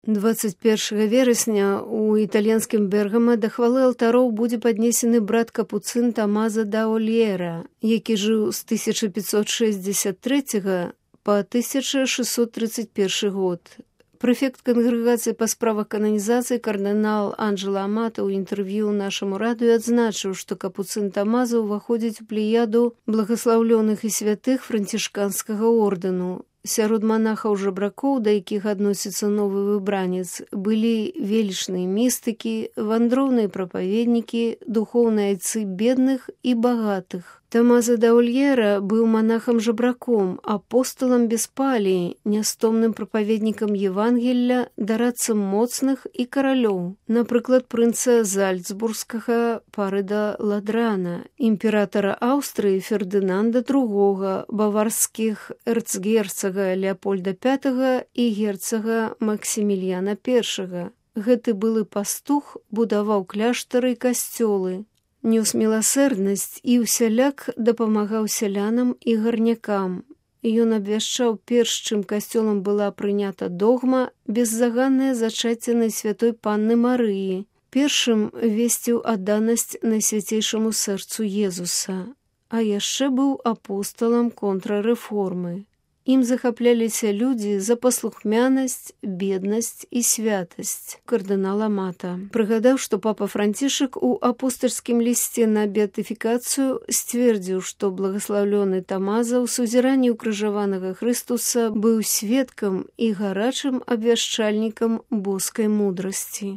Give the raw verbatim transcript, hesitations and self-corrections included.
дваццаць першага верасня у італьянскім Бергама да хвалы алтароў будзе паднесены брат капуцын Тамаза да Ольера, які жыў з тысяча пятьсот шэсцьдзесят трэцяга па тысяча шэсцьсот трыццаць першы год. Прэфект кангрэгацыі па справах кананізацыі кардынал Анджела Амата ў інтэрв'ю нашаму радыё адзначыў, што капуцын Тамаза ўваходзіць у плеяду благаслаўлёных і святых францішканскага ордэну. Сярод манахаў-жабракоў, да якіх адносіцца новы выбранец, былі велічныя містыкі, вандроўныя прапаведнікі, духоўныя айцы бедных і багатых. Тамаза да Ольера быў манахам-жабраком, апосталам без паліі, нястомным прапаведнікам Евангелля, дарадцам моцных і каралёў. Напрыклад, прынца Зальцбургскага Парыда Ладрана, імператара Аўстрыі Фердынанда другога, баварскіх эрцгерцага Леапольда пятага і герцага Максіміліяна першага. Гэты былы пастух будаваў кляштары і касцёлы, нёс міласэрнасць і ўсяляк дапамагаў сялянам і гарнякам. Ён абвяшчаў, перш чым касцёлам была прынята догма, беззаганнае зачацце Найсвятой Панны Марыі, першым весціў адданасць Найсвяцейшаму сэрцу Езуса, а яшчэ быў апосталам контрарэформы. Ім захапляліся людзі за паслухмянасць, беднасць і святасць. Кардынал Амата прыгадаў, што папа Францішак у апостальскім лісце на беатыфікацыю сцвердзіў, што благаслаўлёны Тамаза ў сузіранні ўкрыжаванага Хрыстуса быў сведкам і гарачым абвяшчальнікам боскай мудрасці.